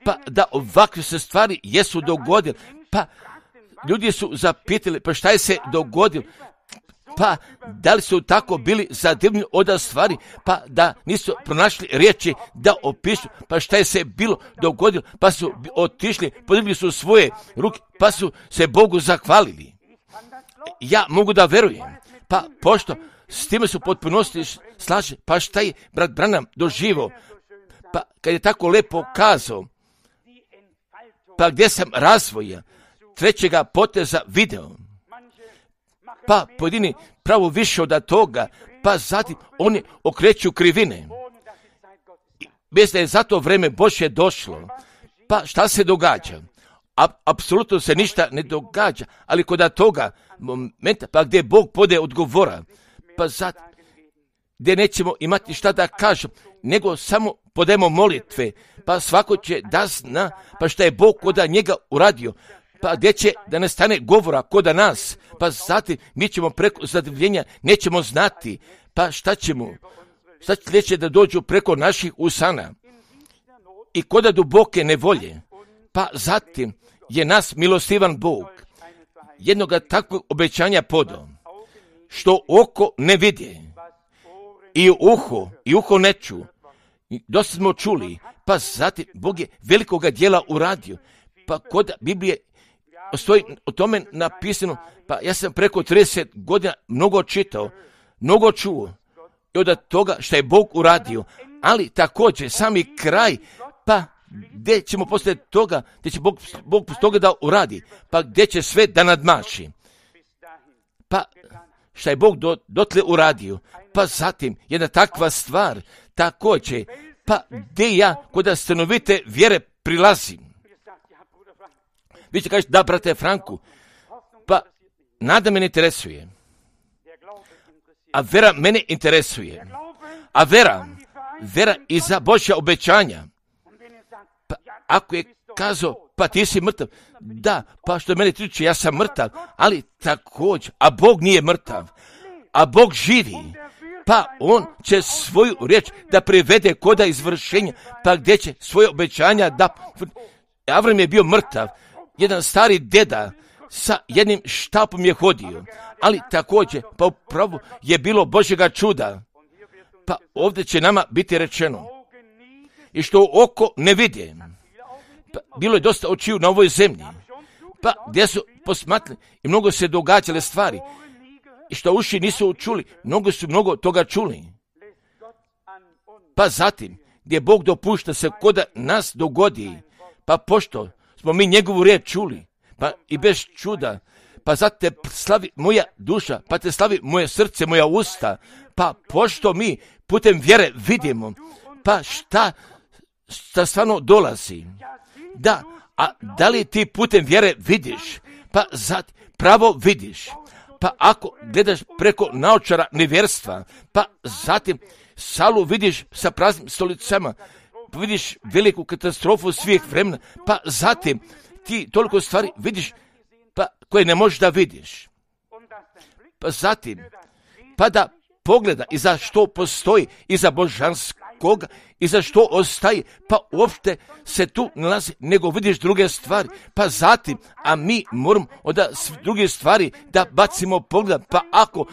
pa da ovakve se stvari jesu dogodile, pa ljudi su zapitali, pa šta je se dogodilo, pa da li su tako bili zadivljeni od stvari, pa da nisu pronašli riječi da opišu, pa šta je se bilo dogodilo, pa su otišli, podigli su svoje ruke, pa su se Bogu zahvalili. Ja mogu da verujem, pa pošto s time su potpunosti slaže, pa šta je brat Branham doživio, pa kad je tako lepo kazao, pa gdje sam razvoja trećega poteza video, pa pojedini pravo više od toga, pa zatim oni okreću krivine. Bez da je za to vreme Božje došlo, pa šta se događa? Apsolutno se ništa ne događa, ali kod toga momenta, pa gdje Bog pode odgovora, pa zatim gdje nećemo imati šta da kažemo, nego samo podajemo molitve, pa svako će da zna, pa šta je Bog kod njega uradio, pa gdje će da ne stane govora kod nas, pa zatim mi ćemo preko zadivljenja nećemo znati, pa šta će da dođu preko naših usana i kod duboke nevolje, pa zatim je nas milostivan Bog jednoga takvog obećanja podao, što oko ne vidi i uho ne ču. Dosta smo čuli, pa zatim Bog je velikoga djela uradio, pa kod Biblije stoji o tome napisano, pa ja sam preko 30 godina mnogo čitao, mnogo čuo i od toga što je Bog uradio, ali također sami kraj, pa gdje ćemo poslije toga, gdje će Bog toga da uradi, pa gdje će sve da nadmaši. Pa šta je Bog dotle uradio. Pa zatim jedna takva stvar, također, pa gdje ja kod stanovite vjere prilazim. Vi ćete kažete, da, brate Franku, pa nada me ne interesuje, a vera mene interesuje. A vera iza Božja obećanja. Pa ako je kazao, pa ti si mrtav, da, pa što mene tiče, ja sam mrtav, ali također, a Bog nije mrtav, a Bog živi, pa on će svoju riječ da privede koda izvršenja, pa gdje će svoje obećanja da... Avram je bio mrtav, jedan stari deda sa jednim štapom je hodio, ali također, pa upravo je bilo Božjega čuda. Pa ovdje će nama biti rečeno, i što oko ne vidi. Pa bilo je dosta očiju na ovoj zemlji, pa gdje su posmatrali i mnogo se događale stvari, i što uši nisu čuli, mnogo toga čuli. Pa zatim, gdje Bog dopušta se koda nas dogodi, pa pošto smo mi njegovu riječ čuli, pa i bez čuda, pa zato te slavi moja duša, pa te slavi moje srce, moja usta, pa pošto mi putem vjere vidimo, pa šta stvarno dolazi. Da, a da li ti putem vjere vidiš, pa zatim pravo vidiš, pa ako gledaš preko naočara nevjerstva, pa zatim salu vidiš sa praznim stolicama, pa vidiš veliku katastrofu svih vremena, pa zatim ti toliko stvari vidiš, pa koje ne možeš da vidiš. Pa zatim, pa da pogleda i za što postoji, i za božanskoga, i za što ostaje, pa uopšte se tu nalazi, nego vidiš druge stvari, pa zatim, a mi moramo od druge stvari da bacimo pogled, pa ako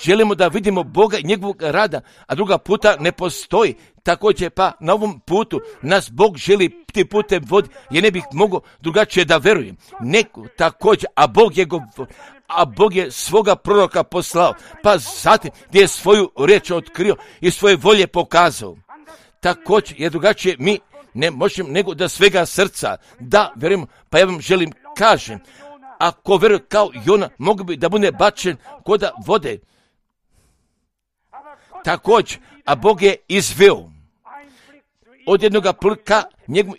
želimo da vidimo Boga i njegovog rada, a druga puta ne postoji, također pa na ovom putu nas Bog želi ti putem vodi, jer ne bih mogao drugačije da verujem. Neko također, a Bog je svoga proroka poslao, pa zatim gdje je svoju riječ otkrio i svoje volje pokazao. Također, jer drugačije mi ne možemo nego da svega srca da verujemo, pa ja vam želim kažem, ako veruje kao Jona, mogu bi da bude bačen koda vode. Također, a Bog je izveo od jednoga plika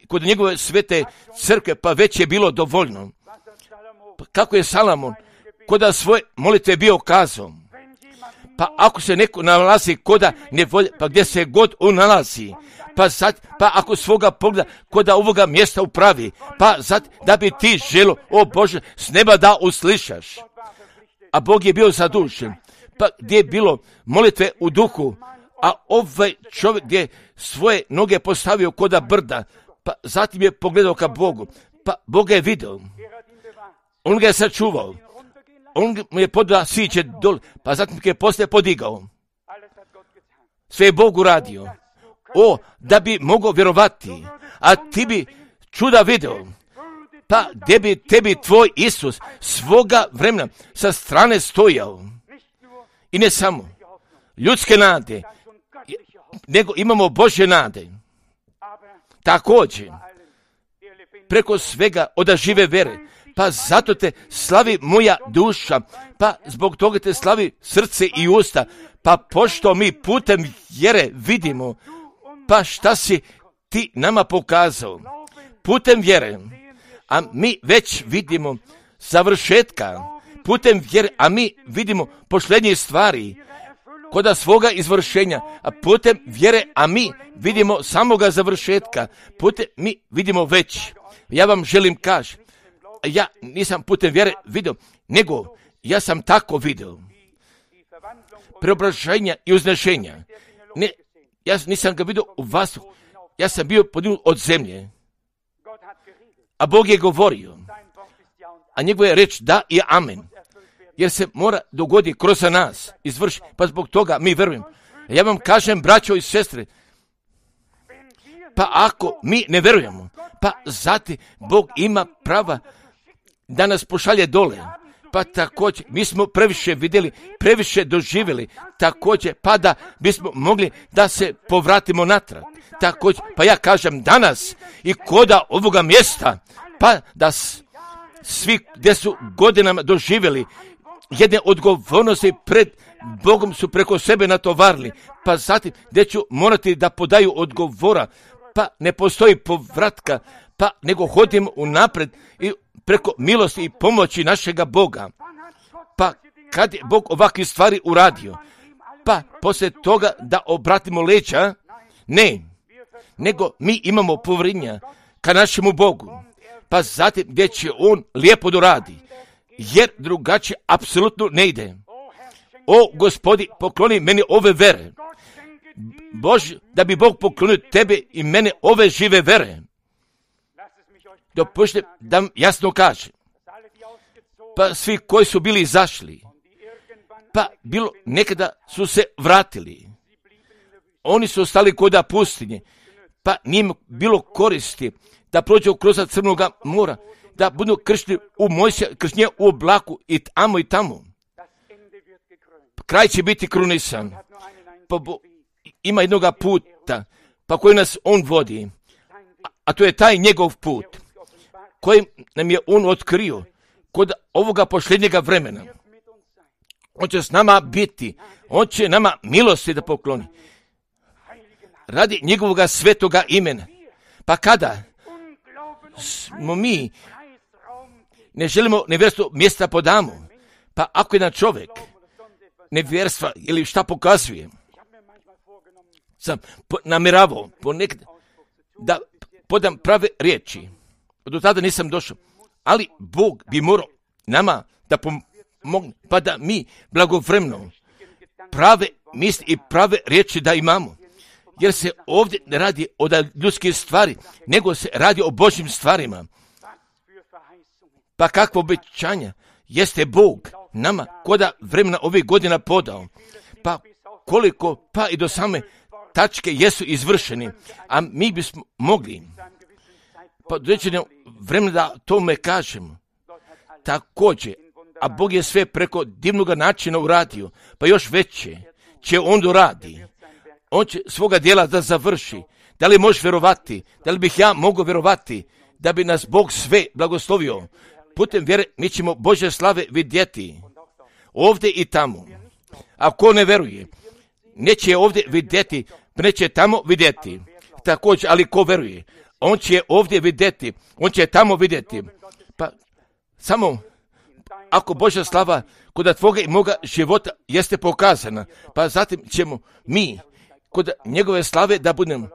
kod njegove svete crkve, pa već je bilo dovoljno. Pa kako je Salomon koda svoje molitve bio kazao, pa ako se neko nalazi koda nevolje, pa gdje se god on nalazi, pa ako svoga pogleda koda ovoga mjesta upravi, pa da bi ti želo, o Bože, s neba da uslišaš. A Bog je bio zadužen, pa gdje je bilo molitve u duhu, a ovaj čovjek gdje svoje noge postavio koda brda, pa zatim je pogledao ka Bogu, pa Bog je vidio, on ga je sačuvao, on mu je podao siće dol, pa zatim ga je poslije podigao. Sve je Bog uradio. O, da bi mogao vjerovati, a ti bi čuda video, pa gdje bi tebi tvoj Isus svoga vremena sa strane stojao. I ne samo ljudske nade, nego imamo Božje nade. Također, preko svega od žive vere, pa zato te slavi moja duša, pa zbog toga te slavi srce i usta, pa pošto mi putem vjere vidimo, pa šta si ti nama pokazao? Putem vjere, a mi već vidimo završetka, putem vjere, a mi vidimo posljednje stvari, koda svoga izvršenja, a putem vjere, a mi vidimo samoga završetka, putem mi vidimo već. Ja vam želim kaži, ja nisam putem vjere vidio, nego ja sam tako vidio. Preobraženja i uznešenja. Ne, ja nisam ga vidio u vas, ja sam bio podignut od zemlje. A Bog je govorio, a njegova je reč da i amen. Jer se mora dogoditi kroz nas, izvrši, pa zbog toga mi verujem. Ja vam kažem, braćo i sestre, pa ako mi ne verujemo, pa zati Bog ima prava da nas pošalje dole. Pa također, mi smo previše vidjeli, previše doživjeli, također, pa da bismo mogli da se povratimo natrag. Također, pa ja kažem danas i koda ovoga mjesta, pa da svi gdje su godinama doživjeli jedne odgovornosti pred Bogom su preko sebe natovarili, pa zatim gdje ću morati da podaju odgovora, pa ne postoji povratka, pa nego hodimo unapred i preko milosti i pomoći našega Boga. Pa kad je Bog ovakve stvari uradio, pa poslije toga da obratimo leđa, ne, nego mi imamo povjerenja ka našemu Bogu, pa zatim gdje će On lijepo doradi, jer drugačije apsolutno ne ide. O Gospodi, pokloni meni ove vere. Bože, da bi Bog poklonio tebe i mene ove žive vere. Dopustite da vam jasno kažem, pa svi koji su bili izašli, pa bilo nekada su se vratili. Oni su ostali koda pustinje, pa njim bilo koristi da prođu kroz Crnoga mora, da budu kršteni u Mojsija, kršnje u oblaku i tamo. Kraj će biti krunisan. Pa ima jednoga puta, pa koji nas On vodi, a to je taj njegov put, koji nam je On otkrio kod ovoga posljednjega vremena. On će s nama biti, On će nama milosti da pokloni. Radi njegovoga svetoga imena. Pa kada smo mi ne želimo nevjerstvo mjesta podamo, pa ako jedan čovjek nevjerstva ili šta pokazuje, sam namjeravao ponekad da podam prave riječi. Do tada nisam došao, ali Bog bi morao nama da pomogne, pa da mi blagovremeno prave misli i prave riječi da imamo. Jer se ovdje ne radi o ljudskih stvari, nego se radi o Božjim stvarima. Pa kakvo obećanja jeste Bog nama koda vremena ovih godina podao. Pa koliko, pa i do same tačke jesu izvršeni, a mi bismo mogli pa određeno vremena da tome kažemo. Također, a Bog je sve preko divnog načina uradio, pa još veće će On doradi. On će svoga dijela da završi. Da li možeš vjerovati? Da li bih ja mogao vjerovati da bi nas Bog sve blagoslovio? Putem vjere mi ćemo Božje slave vidjeti ovdje i tamo. A ko ne vjeruje, neće je ovdje vidjeti, neće tamo vidjeti. Također, ali ko vjeruje, on će ovdje vidjeti, on će tamo vidjeti. Pa samo ako Božja slava kod tvoga i moga života jeste pokazana, pa zatim ćemo mi kod njegove slave da budemo.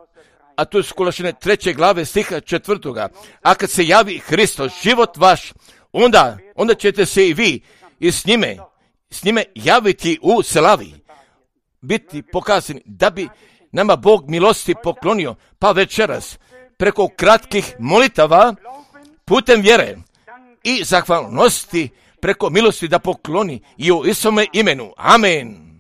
A to je Kološane 3. glave stiha 4. A kad se javi Hristos, život vaš, onda ćete se i vi i s njime javiti u slavi, biti pokazani, da bi nama Bog milosti poklonio, pa večeras preko kratkih molitava putem vjere i zahvalnosti preko milosti da pokloni i u Isome imenu. Amen.